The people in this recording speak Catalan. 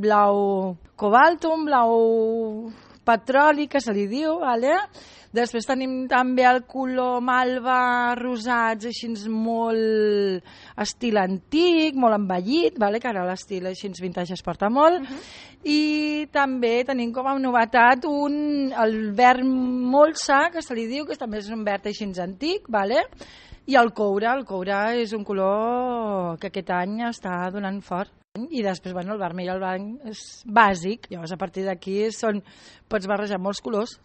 blau cobalto, un blau petroli, que se li diu, vale? Després tenim també el color malva rosats, així molt estil antic, molt envellit, vale? Que ara l'estil així vintage es porta molt. I també tenim com a novetat el verd molsa, que se li diu, que també és un verd així antic, vale? I el coure és un color que aquest any està donant fort. I després, el vermell i el blanc és bàsic. Llavors, a partir d'aquí pots barrejar molts colors.